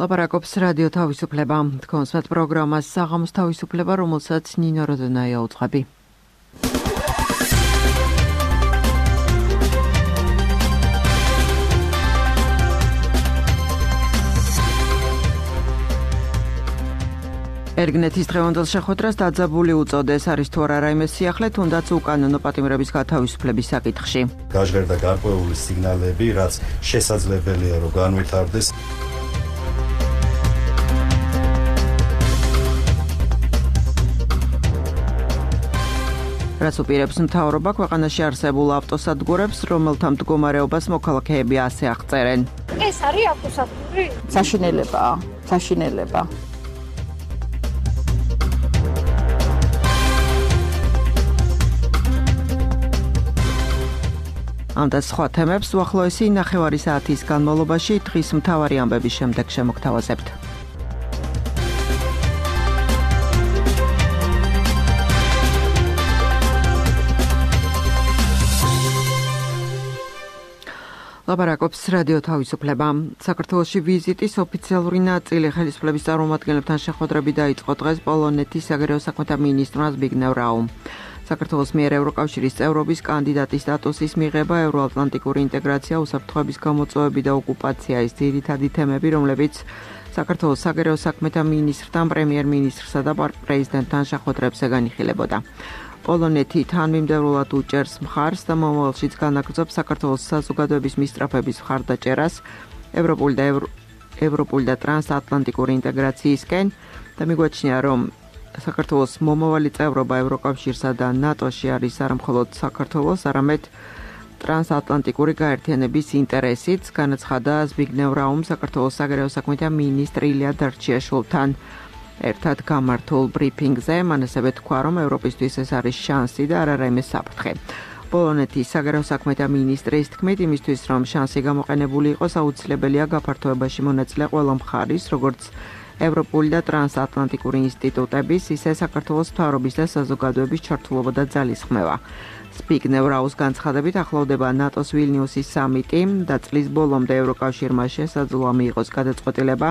ლაპარაკობს რადიო თავისუფლება. თქვენს პროგრამას საღამოს თავისუფლება, რომელსაც ნინო როდონაია უძღვები. ერგნეთის დღევანდელ შეხვედრას დაძაბული უწოდეს, არის თუ არა რაიმე სიახლე, თუნდაც უკანონო პატიმრების გათავისუფლების საკითხში. გაჟღერდა გარკვეული სიგნალები, რაც შესაძლებელია რომ განვითარდეს. რაც უპირებს მთავრობა ქვეყანაში არსებულ ავტოსადგურებს, რომელთა მდგომარეობას მოქალაქეები ასე აღწერენ. ეს არის ავტოსადგური? საშინელება. ამ და სხვა თემებს უახლოესი ნახევარი საათის განმავლობაში დღის მთავარი ამბების შემდეგ შემოგთავაზებთ. ლაპარაკობს რადიო თავისუფლება. საქართველოში ვიზიტის ოფიციალური ნაწილი ხელისუფლების წარმომადგენლებთან შეხვედრები დაიწყო დღეს პოლონეთის საგარეო საქმეთა მინისტრმა ზბიგნევ რაუმ. საქართველოს მიერ ევროკავშირის წევრობის კანდიდატის სტატუსის მიღება, ევროატლანტიკური ინტეგრაცია, უსაფრთხოების გამოწვევები და ოკუპაცია ის ძირითადი თემები, რომლებიც საქართველოს საგარეო საქმეთა მინისტრთან, პრემიერ-მინისტრსა და პრეზიდენტთან შეხვედრებზე განიხილებოდა. პოლონეთი თანმიმდევრულად უჭერს მხარს და მომავალშიც განაგრძობს საქართველოს საზოგადოების მისწრაფების მხარდაჭერას ევროპული და ტრანსატლანტიკური ინტეგრაციისკენ და მიგვაჩნია, რომ საქართველოს მომავალი წევრობა ევროკავშირსა და ნატოში არის არა მხოლოდ საქართველოს, არამედ ტრანსატლანტიკური გაერთიანების ინტერესიც, განაცხადა ზბიგნევ რაუმ საქართველოს საგარეო საქმეთა მინისტრ ილია დარჩიაშვილთან ერთად გამართულ ბრიფინგზე. მან ასევე თქვა, რომ ევროპისთვის ეს არის შანსი და არა რაიმე საფრთხე. პოლონეთის საგარეო საქმეთა მინისტრის თქმით, იმისთვის რომ შანსი გამოყენებული იყოს, აუცილებელია გაფართოებაში მონაწილე ყველა მხარის, როგორც ევროპული და ტრანსატლანტიკური ინსტიტუტების, ისე საქართველოს მთავრობის და საზოგადოების ჩართულობა და ძალისხმევა. ზბიგნევ რაუმის განცხადებით ახლოვდება ნატოს ვილნიუსის სამიტი და წლის ბოლომდე ევროკავშირმა შესაძლოა მიიღოს გადაწყვეტილება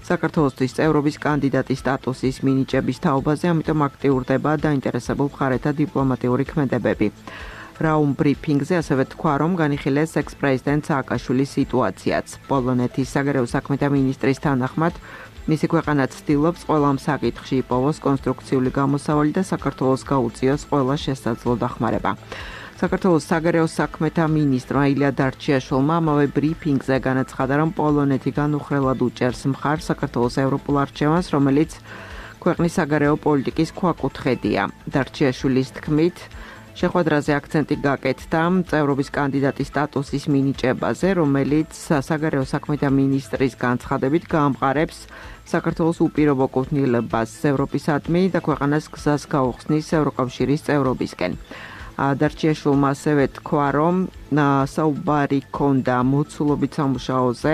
საქართველოსთვის წევრობის კანდიდატის სტატუსის მინიჭების თაობაზე, ამიტომ აქტიურდება დაინტერესებულ მხარეთა დიპლომატიური ქმედებები. რაუმ ბრიფინგზე ასევე თქვა, რომ განიხილეს ექს-პრეზიდენტ სააკაშვილის სიტუაციაც. პოლონეთის საგარეო საქმეთა მინისტრის თანახმად მისი ქვეყანა ცდილობს ყველა ამ საკითხში იპოვოს კონსტრუქციული გამოსავალი და საქართველოს გაუწიოს ყველა შესაძლო დახმარება. საქართველოს საგარეო საქმეთა მინისტრმა ილია დარჩიაშვილმა ამავე ბრიფინგზე განაცხადა, რომ პოლონეთი განუხრელად უჭერს მხარს საქართველოს ევროპულ არჩევანს, რომელიც ქვეყნის საგარეო პოლიტიკის ქვაკუთხედია. დარჩიაშვილის თქმით, შეხვედრაზე აქცენტი გაკეთდა წევრობის კანდიდატის სტატუსის მინიჭებაზე, რომელიც საგარეო საქმეთა მინისტრის განცხადებით გაამყარებს საქართველოს უპირობო კუთვნილებას ევროპისადმი და ქვეყანას გზას გაუხსნის ევროკავშირის წევრობისკენ. დარჩიაშვილმა ასევე თქვა, რომ საუბარი ჰქონდა მოცულობით სამუშაოზე,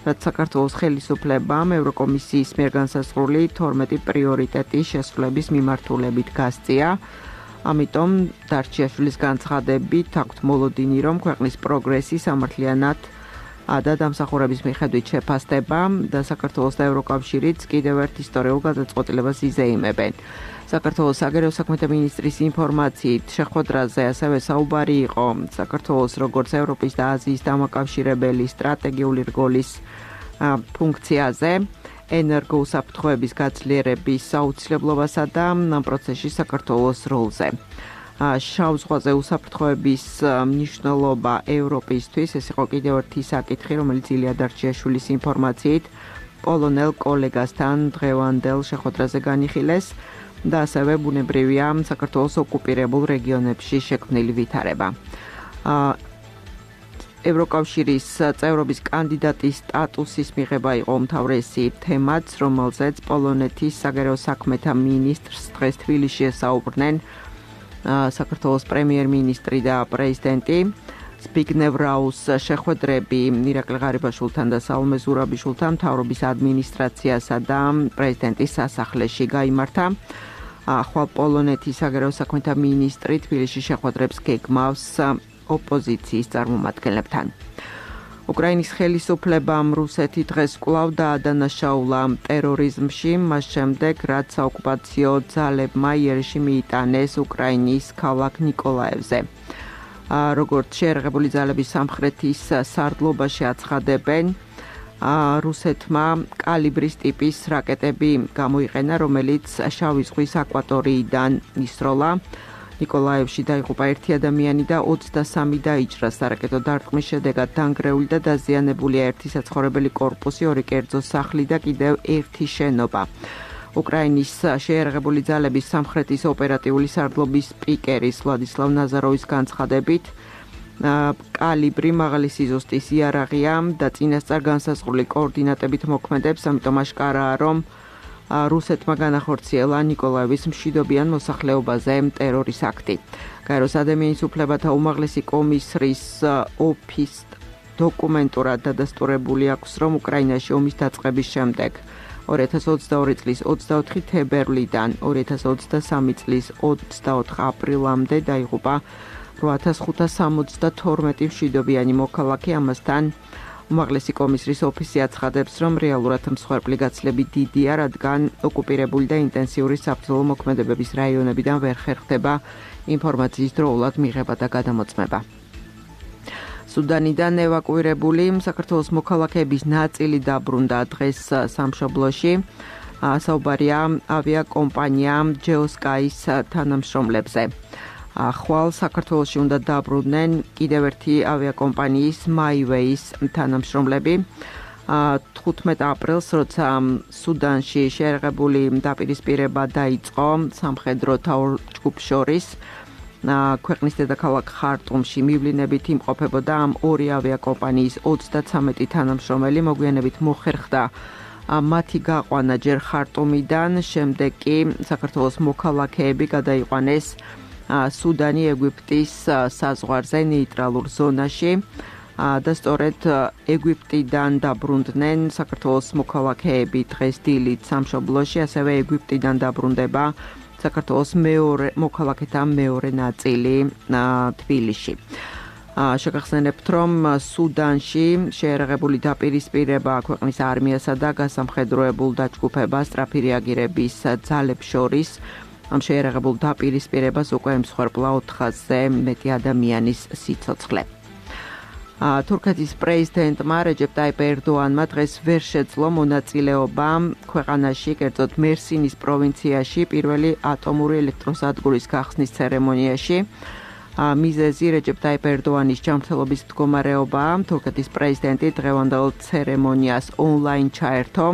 რაც საქართველოს ხელისუფლებამ ევროკომისიის მიერ განსაზღვრული 12 პრიორიტეტის შესრულების მიმართულებით გასწია. ამიტომ დარჩიაშვილის განცხადებით აქვთ მოლოდინი, რომ ქვეყნის პროგრესი სამართლიანად და დამსახურების მიხედვით შეფასდება და საქართველოს და ევროკავშირიც კიდევ ერთ ისტორიულ გადაწყვეტილებას იზეიმებენ. საქართველოს საგარეო საქმეთა მინისტრის ინფორმაციით შეხვედრაზე ასევე საუბარი იყო საქართველოს როგორც ევროპის და აზიის დამაკავშირებელი სტრატეგიული რგოლის ფუნქციაზე, ენერგოუსაფრთხოების გაძლიერების აუცილებლობასა და ამ პროცესში საქართველოს როლზე. შავ ზღვაზე უსაფრთხოების მნიშვნელობა ევროპისთვის, ეს იყო კიდევ ერთი საკითხი, რომელიც ილია დარჩიაშვილის ინფორმაციით პოლონელ კოლეგასთან დღევანდელ შეხვედრაზე განიხილეს და ასევე ბუნებრივია საქართველოს ოკუპირებულ რეგიონებში შექმნილი ვითარება. ევროკავშირის წევრობის კანდიდატის სტატუსის მიღება იყო უმთავრესი თემაც, რომელზეც პოლონეთის საგარეო საქმეთა მინისტრს დღეს თბილისში ესაუბრნენ საქართველოს პრემიერ-მინისტრი და პრეზიდენტი. ზბიგნევ რაუმის შეხვედრები ირაკლი ღარიბაშვილთან და საულმე ზურაბიშვილთან მთავრობის ადმინისტრაციასა და პრეზიდენტის სასახლეში გაიმართა. ახალ პოლონეთის საგარეო საქმეთა მინისტრი თბილისში შეხვედრებს გეგმავს ოპოზიციის წარმომადგენლებთან. უკრაინის ხელისუფლებამ რუსეთი დღეს კვლავ დაადანაშაულა ტერორიზმში, მას შემდეგ, რაც საოკუპაციო ძალებმა იერიში მიიტანეს უკრაინის ქალაქ ნიკოლაევზე. როგორც შეერაღებული ძალების სამხრეთის სარდლობაში აცხადებენ, რუსეთმა კალიბრის ტიპის რაკეტები გამოიყენა, რომელიც შავი ზღვის აკვატორიიდან ისროლა. ნიკოლაევში დაიღუპა 1 ადამიანი და 23 დაიჭრა. სარაკეტო დარტყმის შედეგად დანგრეული და დაზიანებულია 1 საცხოვრებელი კორპუსი, 2 კერძო სახლი და კიდევ 1 შენობა. უკრაინის შეერაღებული ძალების სამხრეთის ოპერატიული სარდლობის სპიკერის ვლადისლავ ნაზაროვის განცხადებით, კალიბრი მაღალი სიზუსტის იარაღია და წინასწარ განსაზღვრული კოორდინატებით მოქმედებს, ამიტომ აშკარაა, რომ რუსეთმა განახორციელა ნიკოლაევის მშვიდობიან მოსახლეობაზე ტერორის აქტი. გაეროს ადამიანის უფლებათა უმაღლესი კომისრის ოფის დოკუმენტურად დადასტურებული აქვს, რომ უკრაინაში ომის დაწყების შემდეგ 2022 წლის 24 თებერვლიდან 2023 წლის 24 აპრილამდე დაიღუპა 8572 მშვიდობიანი მოქალაქე. ამასთან უმაღლესი კომისრის ოფისი აცხადებს, რომ რეალურად მსხვერპლი გაცილებით დიდია, რადგან ოკუპირებული და ინტენსიური საბრძოლო მოქმედებების რაიონებიდან ვერ ხერხდება ინფორმაციის დროულად მიღება და გადამოწმება. სუდანიდან ევაკუირებული საქართველოს მოქალაქეების ნაწილი დაბრუნდა დღეს სამშობლოში. საუბარია ავიაკომპანია ჯეოსკაის თანამშრომლებზე. ხვალ საქართველოში უნდა დაბრუნდნენ კიდევ ერთი ავიაკომპანიის MyWay-ის თანამშრომლები. 15 აპრილს, როცა სუდანში შეერაღებული დაპირისპირება დაიწყო სამხედრო ჯგუფს შორის, ქვეყნის დედაქალაქ ხარტუმში მივლინებით იმყოფებოდა ამ ორი ავიაკომპანიის 33 თანამშრომელი. მოგვიანებით მოხერხდა მათი გაყვანა ჯერ ხარტუმიდან, შემდეგ კი საქართველოს მოქალაქეები გადაიყვანეს სუდანი ეგვიპტის საზღვარზე ნეიტრალურ ზონაში და სწორედ ეგვიპტიდან დაბრუნდნენ საქართველოს მოქალაქეები დღეს დილით სამშობლოში, ასევე ეგვიპტიდან დაბრუნდება საქართველოს მოქალაქეთა მეორე ნაწილი თბილისში. შეგახსენებთ, რომ სუდანში შეერაღებული დაპირისპირება ქვეყნის არმიასა და გასამხედროებულ დაჯგუფებას სწრაფი რეაგირების ძალებს შორის ამ შეერაღებულ დაპირისპირებას უკვე მსხვერპლა 400-ზე მეტი ადამიანის სიცოცხლე. თურქეთის პრეზიდენტმა რეჯეპ ტაიპ ერდოანმა დღეს ვერ შეძლო მონაწილეობა ქვეყანაში, კერძოდ მერსინის პროვინციაში პირველი ატომური ელექტროსადგურის გახსნის ცერემონიაში. მიზეზი რეჯეპ ტაიპ ერდოანის ჯანმრთელობის მდგომარეობაა. თურქეთის პრეზიდენტი დღევანდელ ცერემონიას ონლაინ ჩაერთო.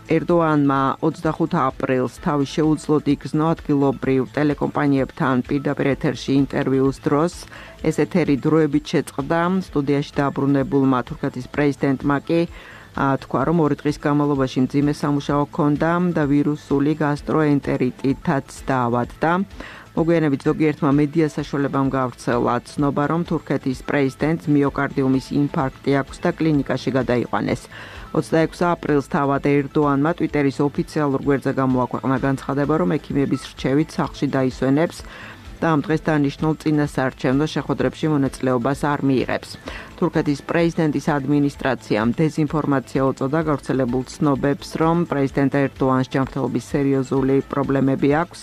ერდოანმა 25 აპრილს თავის შეუძლოდ იგრძნო ადგილობრივ ტელეკომპანიებთან პირდაპირ ეთერში ინტერვიუს დროს. ეს ეთერი დროებით შეწყდა. სტუდიაში დაბრუნებულმა თურქეთის პრეზიდენტმა კი თქვა, რომ 2 დღის განმავლობაში მძიმე სამუშაო ჰქონდა და ვირუსული გასტროენტერიტითაც დაავადდა. მოგვიანებით ზოგიერთმა მედია საშუალებამ გავრცელა ცნობა, რომ თურქეთის პრეზიდენტს მიოკარდიუმის ინფარქტი აქვს და კლინიკაში გადაიყვანეს. 26 აპრილს თავად ერდოანმა ტვიტერის ოფიციალურ გვერდზე გამოაქვეყნა განცხადება, რომ ექიმების რჩევით სახლში დაისვენებს და ამ დღეს დანიშნულ წინასაარჩევნო შეხვედრებში მონაწილეობას არ მიიღებს. თურქეთის პრეზიდენტის ადმინისტრაციამ დეზინფორმაცია უწოდა გავრცელებულ ცნობებს, რომ პრეზიდენტ ერდოანს ჯანმრთელობის სერიოზული პრობლემები აქვს.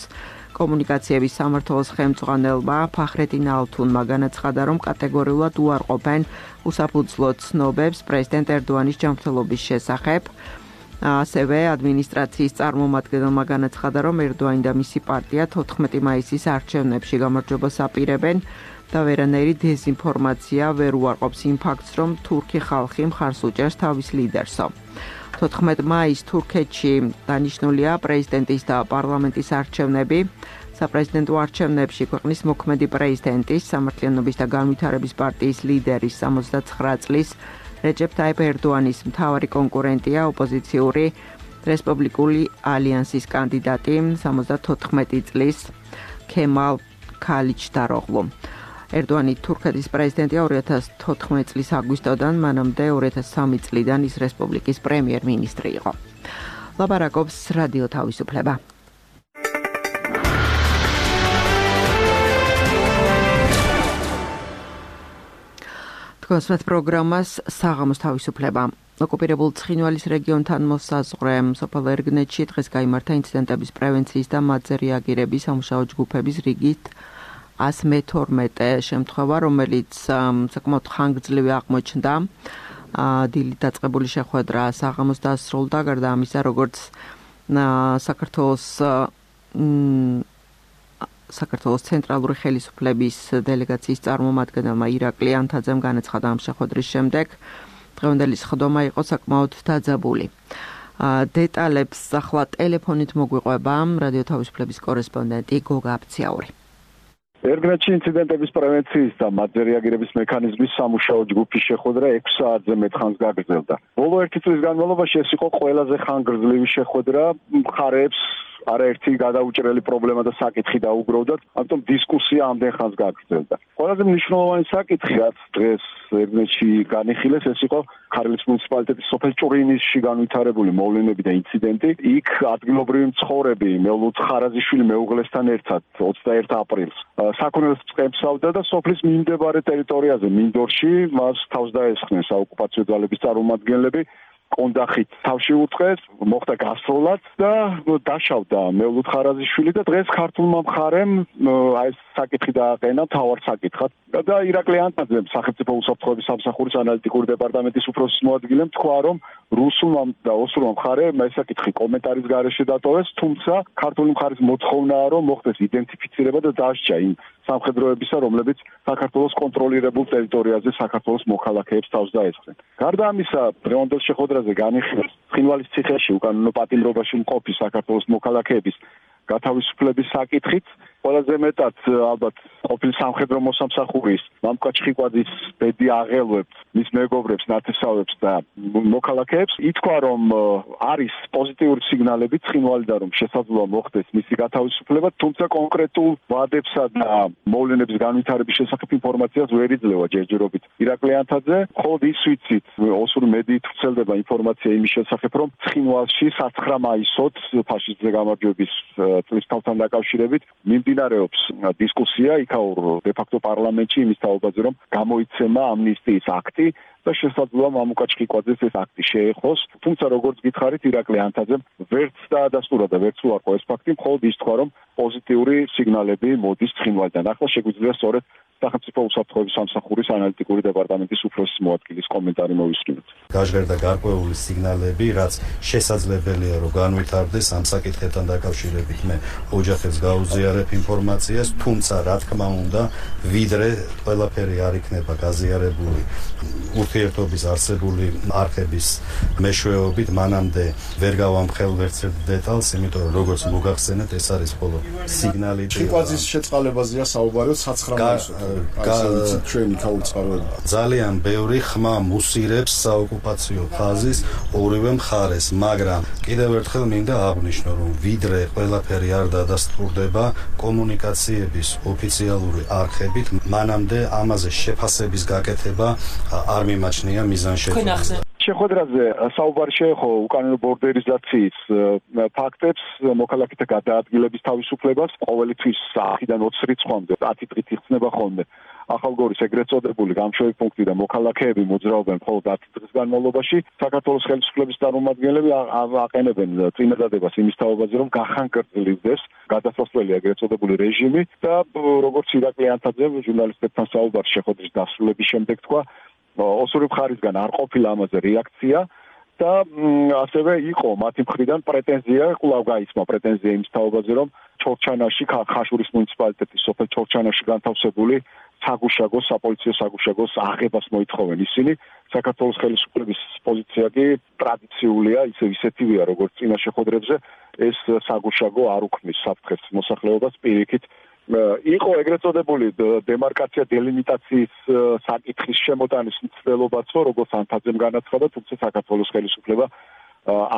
კომუნიკაციების სამმართველოს ხელმძღვანელმა ფახრედინ ალთუნმა განაცხადა, რომ კატეგორიულად უარყოფენ უსაფუძვლო ცნობებს პრეზიდენტ ერდოანის ჯანმრთელობის შესახებ. ასევე ადმინისტრაციის წარმომადგენელმა განაცხადა, რომ ერდოანი და მისი პარტია 14 მაისის არჩევნებში გამარჯვებას აპირებენ და ვერანაირი დეზინფორმაცია ვერ უარყოფს იმ ფაქტს, რომ თურქი ხალხი მხარს უჭერს თავის ლიდერსო. 14 მაისს თურქეთში დანიშნულია პრეზიდენტის და პარლამენტის არჩევნები. საპრეზიდენტო არჩევნებში ქვეყნის მოქმედი პრეზიდენტის, სამართლიანობის და განვითარების პარტიის ლიდერის 69 წლის რეჯეპ ტაიპ ერდოანის მთავარი კონკურენტია ოპოზიციური რესპუბლიკური ალიანსის კანდიდატი 74 წლის ქემალ ქალიჩდაროღლუ. ერდოანი თურქეთის პრეზიდენტია 2014 წლის აგვისტოდან, მანამდე 2003 წლიდან ის რესპუბლიკის პრემიერ-მინისტრი იყო. ლაპარაკობს რადიო თავისუფლება. თქვენს პროგრამას საღამოს თავისუფლება. ოკუპირებულ ცხინვალის რეგიონთან მოსაზღვრე სოფელ ერგნეთში დღეს გაიმართა ინციდენტების პრევენციის და მათზე რეაგირების სამუშაო ჯგუფების რიგით 112 შემთხვევა, რომელიც საკმაოდ ხანგრძლივი აღმოჩნდა. დილით დაწყებული შეხვედრა საღამოს დასრულდა, გარდა ამისა, როგორც საქართველოს ცენტრალური ხელისუფლების დელეგაციის წარმომადგენელმა ირაკლი ანთაძემ განაცხადა ამ შეხვედრის შემდეგ, დღევანდელი სხდომა იყო საკმაოდ დაძაბული. დეტალებს ახლა ტელეფონით მოგვიყვება რადიო თავისუფლების კორესპონდენტი გოგა აფციაური. ერგნეთში ინციდენტების პრევენციის და მათზე რეაგირების მექანიზმის სამუშაო ჯგუფის შეხვედრა 6 საათზე მეტ ხანს გაგრძელდა. ბოლო 1 წლის განმავლობაში ეს იყო ყველაზე ხანგრძლივი შეხვედრა, მხარეებს არაერთი გადაუჭრელი პრობლემა და საკითხი დაუგროვდათ, ამიტომ დისკუსია ამდენ ხანს გაგრძელდა. ყველაზე მნიშვნელოვანი საკითხი, რაც დღეს ერგნეთში განიხილეს, ეს იყო ქართლის მუნიციპალიტეტის სოფელ ჭურინისში განვითარებული მოვლენები და ინციდენტი. იქ ადგილობრივი მცხოვრები მელუთ ხარაზიშვილი მეუღლესთან ერთად 21 აპრილს საქონელს წემსავდა და სოფლის მიმდებარე ტერიტორიაზე მინდორში მას თავს დაესხნენ საოკუპაციო ძალების წარმომადგენლები. კონდახით თავში უწყეს, მოხდა გასროლაც და დაშავდა მელუთ ხარაზიშვილი და დღეს ქართულმა მხარემ ეს საკითხი დააყენა მთავარ საკითხად. და ირაკლი ანთაძემ სახელმწიფო უსაფრთხოების სამსახურის ანალიტიკური დეპარტამენტის უფროსის მოადგილემ თქვა, რომ რუსულმა და ოსურმა მხარემ ეს საკითხი კომენტარის გარეშე დატოვეს, თუმცა ქართული მხარის მოთხოვნაა, რომ მოხდეს იდენტიფიცირება და დასჯა იმ სამხედროებისა, რომლებიც საქართველოს კონტროლირებულ ტერიტორიაზე საქართველოს მოქალაქეებს თავს დაესხნენ. გარდა ამისა, დღევანდელ შეხვედრაზე განიხილეს ცხინვალის ციხეში უკანონო პატიმრობაში მყოფი საქართველოს მოქალაქეების გათავისუფლების საკითხით. ყველაზე მეტად ალბათ ყოფილი სამხედრო მოსამსახურის მამკა ჩხიკვაძის ბედი აღელვებს მის მეგობრებს, ნათესავებს და მოქალაქეებს. ითქვა, რომ არის პოზიტიური სიგნალები ცხინვალიდან, რომ შესაძლოა მოხდეს მისი გათავისუფლება, თუმცა კონკრეტულ ვადებსა და მოვლენების განვითარების შესახებ ინფორმაციას ვერ იძლევა ჯერჯერობით ირაკლი ანთაძე. მხოლოდ ის ვიცით, ოსური მედიით ვრცელდება ინფორმაცია იმის შესახებ, რომ ცხინვალში 9 მაისოთ ფაშისტზე გამარჯვების წლის თავთან დაკავშირებით მიმდინარეობს დისკუსია იქაურ დე-ფაქტო პარლამენტში იმის თაობაზე, რომ გამოიცემა ამნისტიის აქტი და შესაძლოა მამუკა ჩხიკვაძეს ეს აქტი შეეხოს. თუმცა როგორც გითხარით, ირაკლი ანთაძემ ვერც დაადასტურა და ვერც უარყო ეს ფაქტი, მხოლოდ ის თქვა, რომ პოზიტიური სიგნალები მოდის ცხინვალიდან. ახლა შეგვიძლია სწორედ სახელმწიფო უსაფრთხოების სამსახურის ანალიტიკური დეპარტამენტის უფროსის მოადგილის კომენტარი მოვისმინოთ. გაჟღერდა გარკვეული სიგნალები, რაც შესაძლებელია, რომ განვითარდეს ამ საკითხებთან დაკავშირებით. მე ოჯახებს გაუზიარებ ინფორმაციას, თუმცა რა თქმა უნდა, ვიდრე ყველაფერი არ იქნება გაზიარებული ურთიერთობის არსებული არხების მეშვეობით, მანამდე ვერ გავამხელ ვერცერთ დეტალს, იმიტომ რომ როგორც მოგახსენეთ, ეს არის მხოლოდ სიგნალი. ჩიკვაძის შეწყალებაზეა საუბარი 9 მაისზე. ჩვენი ქაუწყაროები. ძალიან ბევრი ხმა მუსირებს საოკუპაციო ხაზის ორივე მხარეს, მაგრამ კიდევ ერთხელ მინდა აღვნიშნო, რომ ვიდრე ყველაფერი არ დადასტურდება კომუნიკაციების ოფიციალური არხებით, მანამდე ამაზე შეფასების გაკეთება არ მიმაჩნია მიზანშეწონილად. შეხვედრაზე საუბარი შეეხო უკანონო ბორდერიზაციის ფაქტებს, მოქალაქეთა გადაადგილების თავისუფლებას, ყოველთვის 100-დან 20 რიცხვამდე 10 დღით იხსნება ხოლმე. ახალგორის ეგრეთ წოდებული გამშვები პუნქტი და მოქალაქეები მოძრაობენ მხოლოდ 10 დღის განმავლობაში. საქართველოს ხელისუფლების წარმომადგენლები აყენებენ წინადადებას იმის თაობაზე, რომ გახანგრძლივდეს გადასასვლელი ეგრეთ წოდებული რეჟიმი და როგორც ირაკლი ანთაძემ ჟურნალისტებთან საუბარში შეხვედრის დასრულების შემდეგ თქვა, ოსური მხარისგან არ ყოფილა ამაზე რეაქცია და ასევე იყო მათი მხრიდან პრეტენზია, კვლავ გაისმა პრეტენზია იმის თაობაზე, რომ ჩორჩანაში, ხაშურის მუნიციპალიტეტის სოფელ ჩორჩანაში განთავსებული საგუშაგოს, საპოლიციო საგუშაგოს აღებას მოითხოვენ ისინი. საქართველოს ხელისუფლების პოზიცია კი ტრადიციულია, ისეთივეა, როგორც წინა შეხვედრებზე, ეს საგუშაგო არ უქმნის საფრთხეს მოსახლეობას პირიქით. იყო ეგრეთ წოდებული დემარკაცია დელიმიტაციის საკითხის შემოტანის მცდელობაც, როგორც ანთაძემ განაცხადა, თუმცა საქართველოს ხელისუფლება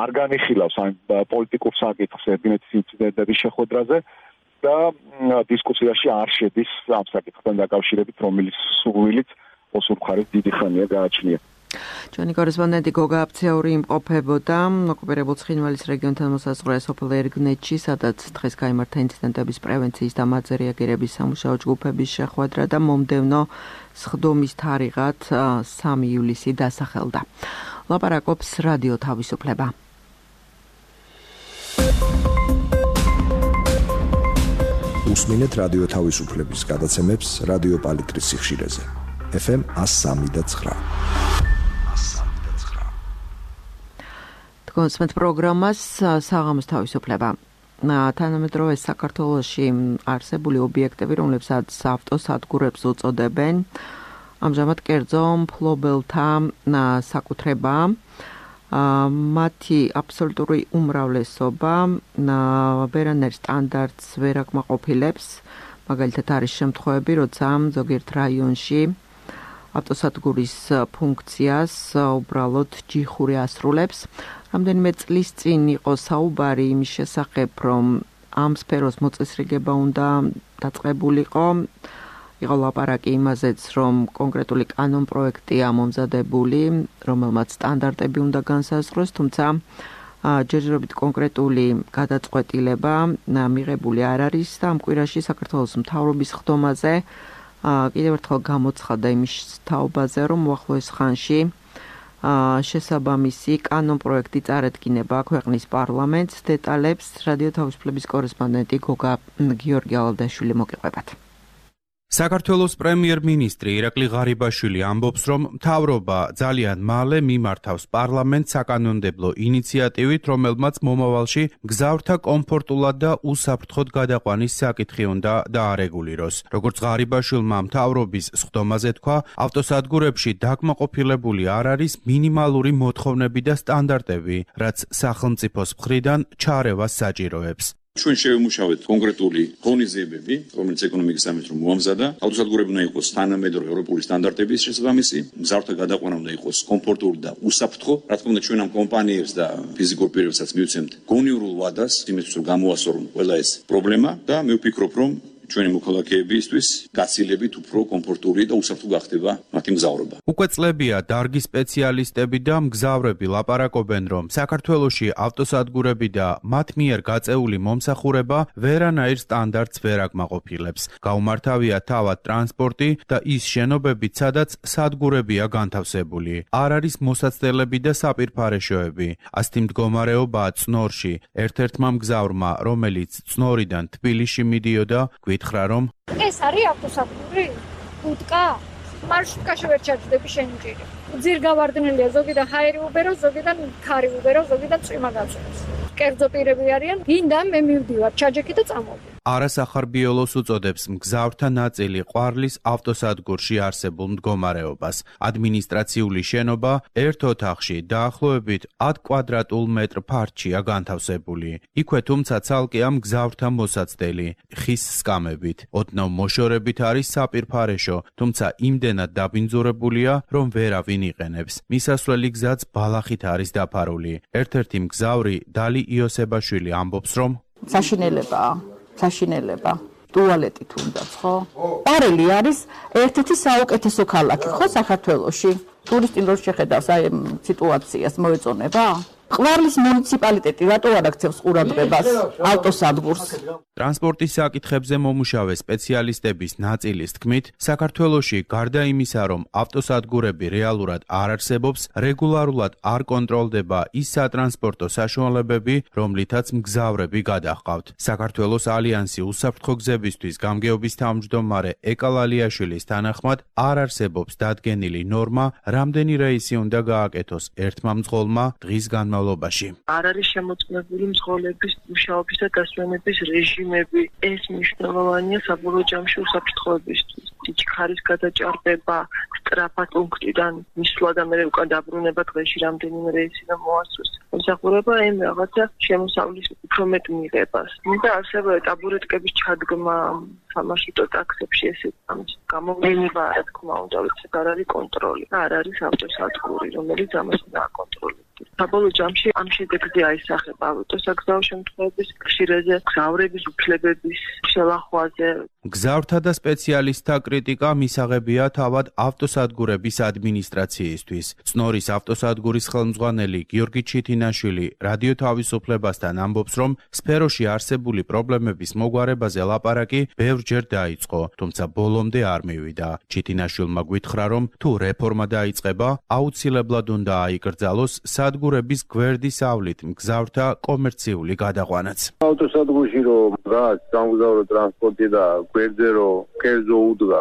არ განიხილავს ამ პოლიტიკურ საკითხს ერგნეთის ინციდენტების შეხვედრაზე და დისკუსიაში არ შედის ამ საკითხთან დაკავშირებით, რომელიც სურვილით ოსურ მხარეს დიდი ხანია გააჩნია. ჩვენი კორესპონდენტი გოგა აფცეური იმყოფებოდა ოკუპირებულ ცხინვალის რეგიონთან მოსაზღვრე სოფელ ერგნეთში, სადაც დღეს გაიმართა ინციდენტების პრევენციის და მათზე რეაგირების სამუშაო ჯგუფების შეხვედრა და მომდევნო სხდომის თარიღად 3 ივლისი დასახელდა. ლაპარაკობს რადიო თავისუფლება. უსმინეთ რადიო თავისუფლების გადაცემებს რადიო პალიტრის სიხშირეზე. FM 103.9. კონსმეთ პროგრამას საღამოს თავისუფლება. თანამედროვე საქართველოში არსებული ობიექტები, რომლებსაც ავტოსადგურებს უწოდებენ, ამჟამად კერძო მფლობელთა საკუთრებაა. მათი აბსოლუტური უმრავლესობა ვერანაირ სტანდარტს ვერ აკმაყოფილებს. მაგალითად არის შემთხვევები, როცა ზოგიერთ რაიონში ავტოსადგურის ფუნქციას უბრალოდ ჯიხური ასრულებს. რამდენიმე წლის წინ იყო საუბარი იმის შესახებ, რომ ამ სფეროს მოწესრიგება უნდა დაწყებულიყო. იყო ლაპარაკი იმაზეც, რომ კონკრეტული კანონპროექტია მომზადებული, რომელმაც სტანდარტები უნდა განსაზღვროს, თუმცა ჯერჯერობით კონკრეტული გადაწყვეტილება მიღებული არ არის და ამ კვირაში საქართველოს მთავრობის ხდომაზე კიდევ ერთხელ გამოცხადდა იმის თაობაზე, რომ უახლოეს ხანში შესაბამისი კანონპროექტი წარედგინება ქვეყნის პარლამენტს. დეტალებს რადიო თავისუფლების კორესპონდენტი გოგა გიორგი ალადაშვილი მოგიყვებათ. საქართველოს პრემიერ-მინისტრი ირაკლი ღარიბაშვილი ამბობს, რომ მთავრობა ძალიან მალე მიმართავს პარლამენტს საკანონმდებლო ინიციატივით, რომელმაც მომავალში მგზავრთა კომფორტულად და უსაფრთხოდ გადაყვანის საკითხი უნდა დაარეგულიროს. როგორც ღარიბაშვილმა მთავრობის სხდომაზე თქვა, ავტოსადგურებში დაკმაყოფილებული არ არის მინიმალური მოთხოვნები და სტანდარტები, რაც სახელმწიფოს მხრიდან ჩარევას საჭიროებს. ჩვენ შევიმუშავეთ კონკრეტული ღონისძიებები, რომელიც ეკონომიკის სამინისტრომ მოამზადა. ავტოსადგურები უნდა იყოს თანამედროვე ევროპული სტანდარტების შესაბამისი, მგზავრთა გადაყვანა უნდა იყოს კომფორტური და უსაფრთხო. რა თქმა უნდა, ჩვენ ამ კომპანიებს და ფიზიკურ პირებსაც მივცემთ გონიურულ ვადას, იმისთვის რომ გამოასწორონ ყველა ეს პრობლემა და მე ვფიქრობ, რომ ჩვენი მოქალაქეებისთვის გაცილებით უფრო კომფორტური და უსაფრთხო გახდება მათი მგზავრობა. უკვე წლებია დარგი სპეციალისტები და მგზავრები ლაპარაკობენ, რომ საქართველოში ავტოსადგურები და მათ მიერ გაწეული მომსახურება ვერანაირ სტანდარტს ვერ აკმაყოფილებს. გაუმართავია თავად ტრანსპორტი და ის შენობებიც, სადაც სადგურებია განთავსებული. არ არის მოსაცდელები და საპირფარეშოები. ასეთი მდგომარეობაა წნორში. ერთ-ერთმა მგზავრმა, რომელიც წნორიდან თბილისში მიდიოდა, გითხრა, რომ ეს არის ავტოსადგური? უტკა? მარშრუტკაში ვერ ჩაჯდები შენი ჭირი. ძირ გავარდნილია, ზოგიდან ჰაერი უბერო, ზოგიდან ქარი უბერო, ზოგიდან წვიმა გაწევს. კერძო პირები არიან, გინდა მე მივდივარ, ჩაჯექი და წამოვიდე. არასახარბიელოს უწოდებს მგზავრთა ნაწილი ყვარლის ავტოსადგურში არსებულ მდგომარეობას. ადმინისტრაციული შენობა ერთ ოთახში დაახლოებით 10 კვადრატულ მეტრ ფართშია განთავსებული. იქვე თუმცა ცალკეა მგზავრთა მოსაცდელი, ხის სკამებით. ოდნავ მოშორებით არის საპირფარეშო, თუმცა იმდენად დაბინძურებულია, რომ ვერავინ იყენებს. მისასვლელი გზაც ბალახით არის დაფარული. ერთ-ერთი მგზავრი დალი იოსებაშვილი ამბობს, რომ საშინელება ტუალეტი თუნდაც, ხო? პარელი არის ერთ-ერთი საუკეთესო ქალაქი, ხო, საქართველოში? ტურისტი რო შეხედავს აი სიტუაციას მოეწონება? ყვარლის მუნიციპალიტეტი რატო არ აქცევს ყურადღებას ავტოსადგურს? ტრანსპორტის საკითხებზე მომუშავე სპეციალისტების ნაწილის თქმით, საქართველოში გარდა იმისა, რომ ავტოსადგურები რეალურად არ არსებობს, რეგულარულად არ კონტროლდება ის სატრანსპორტო საშუალებები, რომლითაც მგზავრები გადაჰყავთ. საქართველოს ალიანსი უსაფრთხო გზებისთვის გამგეობის თავმჯდომარე ეკალალიაშვილის თანახმად, არ არსებობს დადგენილი ნორმა, რამდენი რეისი უნდა გააკეთოს ერთმა მძღოლმა დღის განმავლობაში. არ არის შემოწმებული მძღოლების მუშაობის და დასვენების რეჟიმები. ეს მნიშვნელოვანია საბოლოო ჯამში უსაფრთხოებისთვის. სიჩქარის გადაჭარბება, სტრაფა პუნქტიდან მისვლა და მე უკან დაბრუნება დღეში რამდენიმე რეისი და მოასწროს. მომსახურება იმ რაღაცა შემოსავლის უფრო მეტ მიღებას. და ასევე ტაბურეტკების ჩადგმა სამარშრუტო ტაქსებში ესეც ამის გამოვლენა, რა თქმა უნდა, ვიცი, არ არის კონტროლი. არ არის ავტოსადგური, რომელიც ამას დააკონტროლებს. საბოლოო ჯამში ამ შედეგზე აისახება ავტოსაგზაო შემთხვევების ხშირეზე, გზავრების უფლებების შელახვაზე. გზავრთა და სპეციალისტთა კრიტიკა მისაღებია თავად ავტოსადგურების ადმინისტრაციისთვის. წნორის ავტოსადგურის ხელმძღვანელი გიორგი ჩითინაშვილი რადიო თავისუფლებასთან ამბობს, რომ სფეროში არსებული პრობლემების მოგვარებაზე ლაპარაკი ბევრჯერ დაიწყო, თუმცა ბოლომდე არ მივიდა. ჩითინაშვილმა გვითხრა, რომ თუ რეფორმა დაიწყება, აუცილებლად უნდა აიკრძალოს სადგურების გვერდის ავლით მგზავრთა კომერციული გადაყვანაც. ავტოსადგურში რომ რაც სამგზავრო ტრანსპორტი და გვერდზე რომ კერძო უდგა,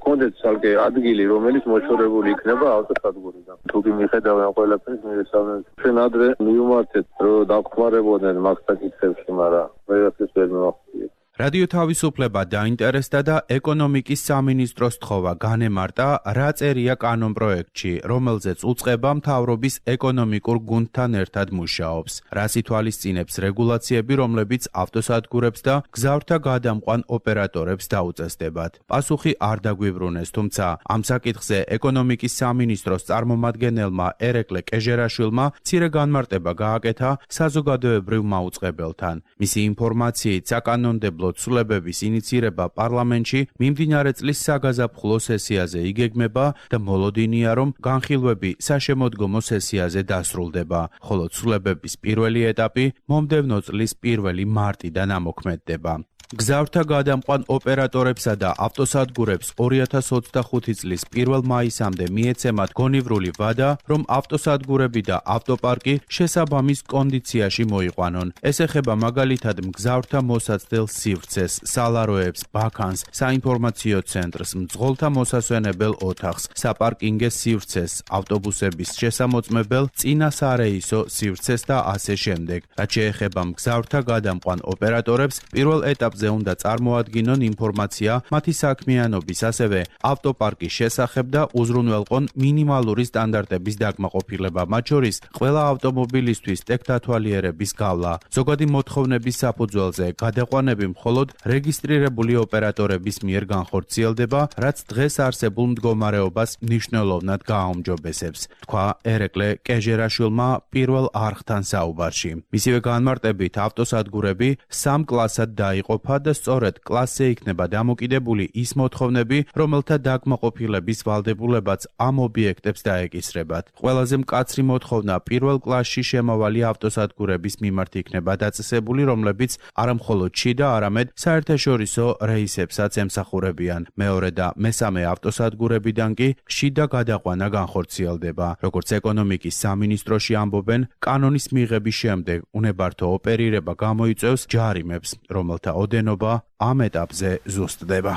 კონდეთ ცალკე ადგილი, რომელიც მოშორებული იქნება ავტოსადგურიდან. თუ კი მიხედავენ ყველაფერს მირესალმენ. ჩვენ ადრე მივუმართეთ, რომ დაგხვარებოდნენ მაგ საკითხებში, მაგრამ ვერაფერს ვერ მივახციეთ. რადიო თავისუფლება დაინტერესდა და ეკონომიკის სამინისტროს თხოვა განემარტა, რა წერია კანონპროექტში, რომელზეც უწყება მთავრობის ეკონომიკურ გუნდთან ერთად მუშაობს. რას ითვალისწინებს რეგულაციები, რომლებიც ავტოსადგურებს და გზავრთა გადამყვან ოპერატორებს დაუწესდებათ. პასუხი არ დაგვიბრუნეს, თუმცა ამ საკითხზე ეკონომიკის სამინისტროს წარმომადგენელმა ერეკლე კეჟერაშვილმა მცირე განმარტება გააკეთა საზოგადოებრივ მაუწყებელთან. მისი ინფორმაციით საკანონმდებლო ცვლილებების ინიცირება პარლამენტში მიმდინარე წლის საგაზაფხულო სესიაზე იგეგმება და მოლოდინია, რომ განხილვები საშემოდგომო სესიაზე დასრულდება, ხოლო ცვლილებების პირველი ეტაპი მომდევნო წლის 1 მარტიდან ამოქმედდება. გზავრთა გადამყვან ოპერატორებსა და ავტოსადგურებს 2025 წლის 1 მაისამდე მიეცემათ გონივრული ვადა, რომ ავტოსადგურები და ავტოპარკი შესაბამის კონდიციაში მოიყვანონ. ეს ეხება მაგალითად მგზავრთა მოსაცდელ სივრცეს, სალაროებს, ბაქანს, საინფორმაციო ცენტრს, მძღოლთა მოსასვენებელ ოთახს, საპარკინგე სივრცეს, ავტობუსების შესამოწმებელ წინა სარეისო სივრცეს და ასე შემდეგ. რაც შეეხება მგზავრთა გადამყვან ოპერატორებს, პირველ ეტაპზე უნდა წარმოადგინონ ინფორმაცია მათი საქმიანობის, ასევე ავტოპარკის შესახებ და უზრუნველყონ მინიმალური სტანდარტების დაკმაყოფილება, მათ შორის ყველა ავტომობილისთვის ტექნათვალიერების გავლა. ზოგადი მოთხოვნების საფუძველზე გადაყვანები მხოლოდ რეგისტრირებული ოპერატორების მიერ განხორციელდება, რაც დღეს არსებულ მდგომარეობას მნიშვნელოვნად გააუმჯობესებს, თქვა ერეკლე კეჟერაშვილმა პირველ არხთან საუბარში. მისივე განმარტებით ავტოსადგურები 3 კლასად დაიყოფა და სწორედ კლასზე იქნება დამოკიდებული ის მოთხოვნები, რომელთა დაკმაყოფილების ვალდებულებაც ამ ობიექტებს დაეკისრებათ. ყველაზე მკაცრი მოთხოვნა პირველ კლასში შემავალი ავტოსადგურების მიმართ იქნება დაწესებული, რომლებიც არამხოლოდ შიდა, არამედ საერთაშორისო რეისებსაც ემსახურებიან. მეორე და მესამე ავტოსადგურებიდან კი შიდა გადაყვანა განხორციელდება. როგორც ეკონომიკის სამინისტროში ამბობენ, კანონის მიღების შემდეგ უნებართო ოპერირება გამოიწვევს ჯარიმებს, რომელთა ოდენობა ამ ეტაპზე ზუსტდება.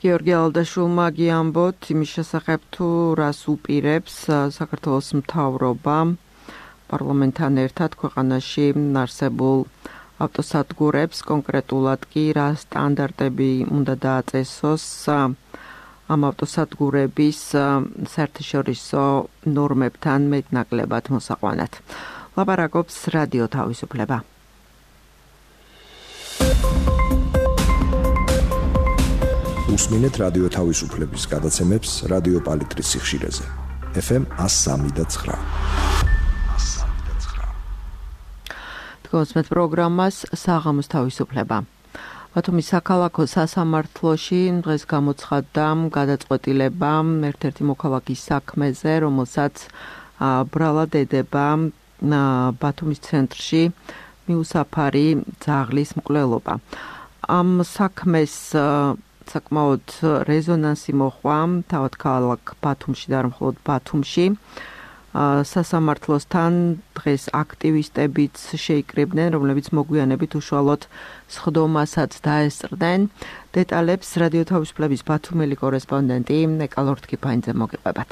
გიორგი ალდაშვილმა გიამბოთ იმის შესახებ, თუ რას უპირებს საქართველოს მთავრობა პარლამენტთან ერთად ქვეყანაში არსებულ ავტოსადგურებს, კონკრეტულად კი რა სტანდარტები უნდა დააწესოს ამ ავტოსადგურების საერთაშორისო ნორმებთან მეტნაკლებად მოსაყვანად. ლაპარაკობს რადიო თავისუფლება. უსმინეთ რადიო თავისუფლების გადაცემებს რადიო პალიტრის სიხშირეზე. FM 103.9. თქვენს პროგრამას საღამოს თავისუფლება. ბათუმის საქალაქო სასამართლოში დღეს გამოცხადდა გადაწყვეტილება ერთ-ერთი მოქალაქის საქმეზე, რომელსაც ბრალად ედება ბათუმის ცენტრში მიუსაფარი ძაღლის მკვლელობა. ამ საქმეს საკმაოდ რეზონანსი მოჰყვა თავად ქალაქ ბათუმში და არ მხოლოდ ბათუმში. სასამართლოსთან დღეს აქტივისტებიც შეიკრიბნენ, რომლებიც მოგვიანებით უშუალოდ სხდომასაც დაესწრდნენ. დეტალებს რადიო თავისუფლების ბათუმელი კორესპონდენტი ნეკალორთქიფაინძე მოგიყვებათ.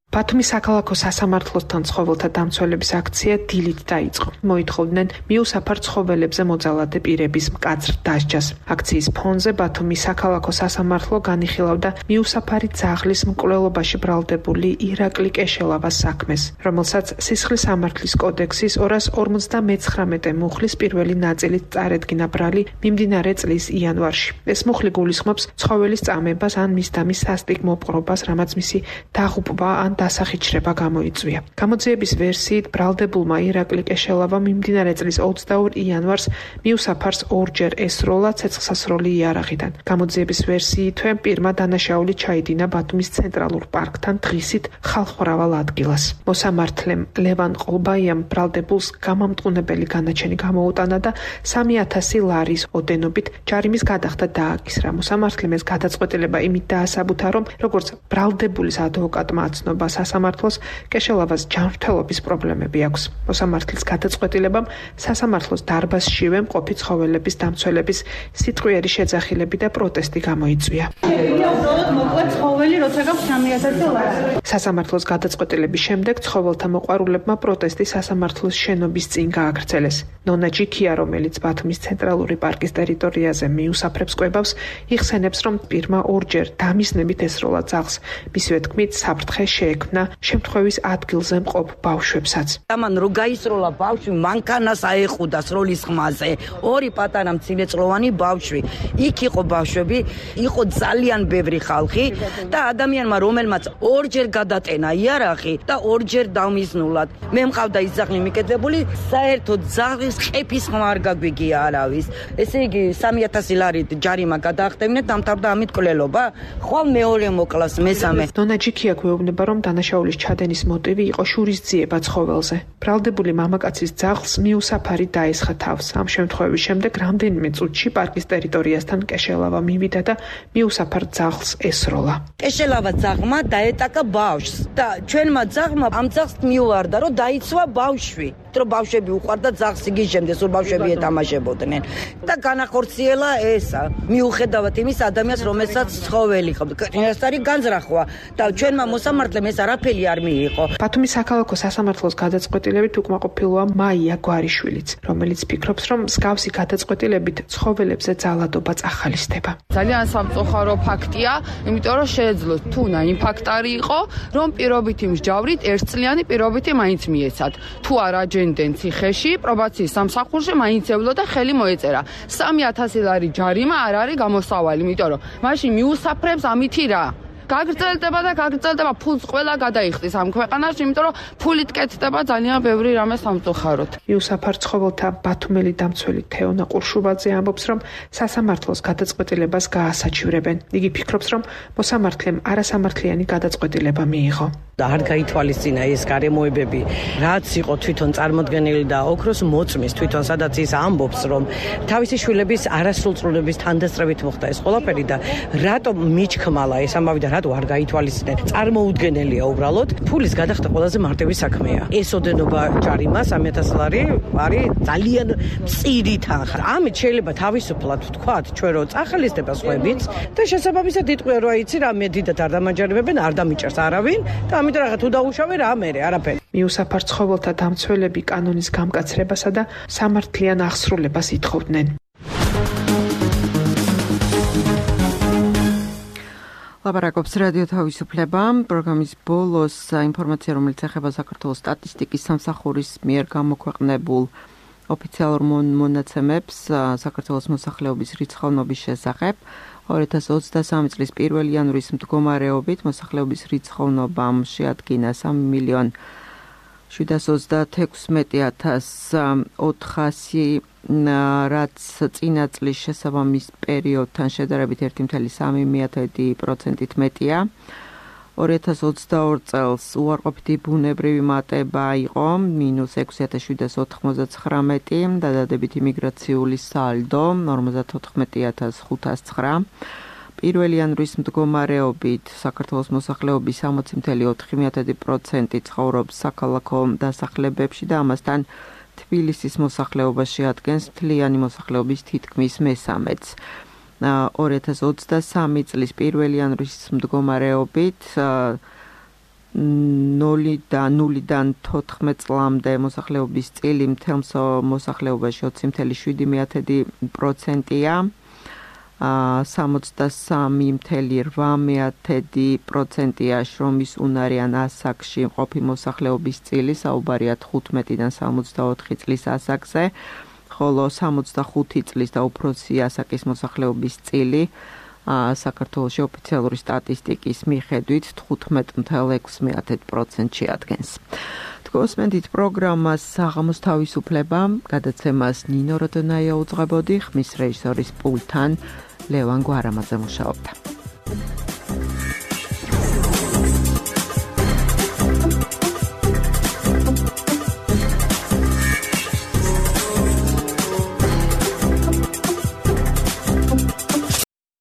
ბათუმის საქალაქო სასამართლოსთან ცხოველთა დამცველების აქცია დილით დაიწყო. მოითხოვდნენ მიუსაფარ ცხოველებზე მოძალადე პირების მკაცრ დასჯას. აქციის ფონზე ბათუმის საქალაქო სასამართლო განიხილავდა მიუსაფარი ძაღლის მკვლელობაში ბრალდებული ირაკლი კეშელავას საქმეს, რომელსაც სისხლის სამართლის კოდექსის 259 მუხლის პირველი ნაწილით წარედგინა ბრალი მიმდინარე წლის იანვარში. ეს მუხლი გულისხმობს ცხოველის წამებას ან მისდამის სასტიკ მოპყრობას, რამაც მისი დაღუპვა ან დასახიჩრება გამოიწვია. გამოძიების ვერსიით ბრალდებულმა ირაკლი კეშელავამ მიმდინარე წლის 22 იანვარს მიუსაფარს ორჯერ ესროლა ცეცხლსასროლი იარაღიდან. გამოძიების ვერსიითვე პირმა დანაშაული ჩაიდინა ბათუმის ცენტრალურ პარკთან დღისით ხალხმრავალ ადგილას. მოსამართლემ ლევან ყოლბაიამ ბრალდებულს გამამტყუნებელი განაჩენი გამოუტანა და 3000 ლარის ოდენობით ჯარიმის გადახდა დააკისრა. მოსამართლემ ეს გადაწყვეტილება იმით დაასაბუთა, რომ როგორც ბრალდებულის ადვოკატმა აცნობა სასამართლოს, კეშელავას ჯანმრთელობის პრობლემები აქვს. მოსამართლის გადაწყვეტილებამ სასამართლოს დარბაზშივე მყოფი ცხოველების დამცველების სიტყვიერი შეძახილები და პროტესტი გამოიწვია. სასამართლოს გადაწყვეტილების შემდეგ ცხოველთა მოყვარულებმა პროტესტი სასამართლოს შენობის წინ გააგრძელეს. ნონა ჯიქია, რომელიც ბათუმის ცენტრალური პარკის ტერიტორიაზე მიუსაფრებს კვებავს, იხსენებს, რომ პირმა ორჯერ დამიზნებით ესროლა ძაღლს. მისივე თქმით, საფრთხე შეექმნა შემთხვევის ადგილზე მყოფ ბავშვებსაც. ამან რო გაისროლა ბავშვი, მანქანას აეხუდა სროლის ხმაზე. ორი პატარა მცირეწლოვანი ბავშვი. იქ იყო ბავშვები, იყო ძალიან ბევრი ხალხი და ადამიანმა, რომელმაც ორჯერ გადატენა იარაღი და ორჯერ დამიზნულად. მე მყავდა ის ძაღლი მიკეთებული, საერთოდ ძაღლის ყეფის ხმა არ გაგვიგია არავის. ესე იგი 3000 ლარი ჯარიმა გადაახტევინეთ, დამთავრდა ამით კვლელობა. ხვალ მეორე მოკლას მესამე. ნონა ჯიქია გვეუბნება, რომ დანაშაულის ჩადენის მოტივი იყო შურისძიება ცხოველზე. ბრალდებული მამაკაცის ძაღლს მიუსაფარი დაესხა თავს. ამ შემთხვევის შემდეგ რამდენიმე წუთში პარკის ტერიტორიასთან კეშელავა მივიდა და მიუსაფარ ძაღლს ესროლა. კეშელავა ძაღლმა დაეტაკა ბავშვს და ჩვენმა ძაღლმა ამ ძაღლს მიუვარდა, რომ დაიცვა ბავშვი. რომ ბავშვები უყვარდა ძაღლს იგიჟემდეს, სულ ბავშვები ეთამაშებოდნენ და განახორციელა ესა. მიუხედავად იმის ადამიანს, რომელსაც ცხოველი ხობდა. ეს არის განზრახვა და ჩვენმა მოსამართლემ ეს არაფერი არ მიიღო. ბათუმის საქალაქო სასამართლოს გადაწყვეტილებით უკმაყოფილოა მაია გვარიშვილიც, რომელიც ფიქრობს, რომ მსგავსი გადაწყვეტილებით ცხოველებზე ძალადობა წახალისდება. ძალიან სამწუხარო ფაქტია, იმიტომ რომ შეეძლოთ თუნა იმ ფაქტარი იყო, რომ პირობითი მსჯავრით ერთწლიანი პირობითი მაინც მიეცათ. თუ არა ჯენდენ ციხეში, პრობაციის სამსახურში მაინც ევლო და ხელი მოეწერა. 3000 ლარი ჯარიმა არ არის გამოსავალი, იმიტომ რომ მაშინ მიუსაფრებს ამითი რა. გაგრძელდება და გაგრძელდება, ფულს ყველა გადაიხდის ამ ქვეყანაში, იმიტომ რომ ფულით კეთდება ძალიან ბევრი რამე სამწუხაროდ. მიუსაფარ ცხოველთა ბათუმელი დამცველი თეონა ყურშუბაძე ამბობს, რომ სასამართლოს გადაწყვეტილებას გაასაჩივრებენ. იგი ფიქრობს, რომ მოსამართლემ არასამართლიანი გადაწყვეტილება მიიღო. და არ გაითვალისწინა ეს გარემოებები, რაც იყო თვითონ წარმოდგენილი და ოქროს მოწმის თვითონ სადაც ის ამბობს, რომ თავისი შვილების არასრულწლოვნების თანდასწრებით მოხდა ეს ყველაფერი და რატომ მიჩქმალა ეს ამბავი და რატო არ გაითვალისწინეთ. წარმოუდგენელია უბრალოდ, ფულის გადახდა ყველაზე მარტივი საქმეა. ეს ოდენობა ჯარიმა 3000 ლარი არის ძალიან მწირი თანხა. ამით შეიძლება თავისუფლად ვთქვათ, ჩვენ რო წახალისდება სხვებიც და შესაბამისად იტყვია, რომ აიცი რა მე დიდად არ დამაჯერებებენ, არ დამიჭერს არავინ და ამიტომ რა თუ დაუშავე რა მერე არაფერი. მიუსაფარ ცხოველთა დამცველები კანონის გამკაცრებასა და სამართლიან აღსრულებას ითხოვდნენ. ლაპარაკობს რადიო თავისუფლება. პროგრამის ბოლოს ინფორმაცია, რომელიც ეხება საქართველოს სტატისტიკის სამსახურის მიერ გამოქვეყნებულ ოფიციალურ მონაცემებს საქართველოს მოსახლეობის რიცხოვნობის შესახებ. 2023 წლის 1 იანვრის მდგომარეობით მოსახლეობის რიცხოვნობამ შეადგინა 3.736.400, რაც წინა წლის შესაბამის პერიოდთან შედარებით 1.3%-ით მეტია. 2022 წელს უარყოფითი ბუნებრივი მატება იყო -6.799 და დადებითი მიგრაციული სალდო 54.509. 1 იანვრის მდგომარეობით საქართველოს მოსახლეობის 60.4% ცხოვრობს საქალაქო დასახლებებში და ამასთან თბილისის მოსახლეობა შეადგენს მთლიანი მოსახლეობის თითქმის მესამედს. 2023 წლის 1 იანვრის მდგომარეობით 0-დან 14 წლამდე მოსახლეობის წილი მთელ მოსახლეობაში 20.7%-ია. 63.8%-ია შრომის უნარიან ასაკში მყოფი მოსახლეობის წილი, საუბარია 15-დან 64 წლის ასაკზე, ხოლო 65 წლის და უფროსი ასაკის მოსახლეობის წილი საქართველოში ოფიციალური სტატისტიკის მიხედვით 15.6%-ში ადგენს. გოსმენდით პროგრამას საღამოს თავისუფლება, გადაცემას ნინო როდონაია უძღვებოდი, ხმის რეჟისორის პულტთან ლევან გვარამაძე მუშაობდა.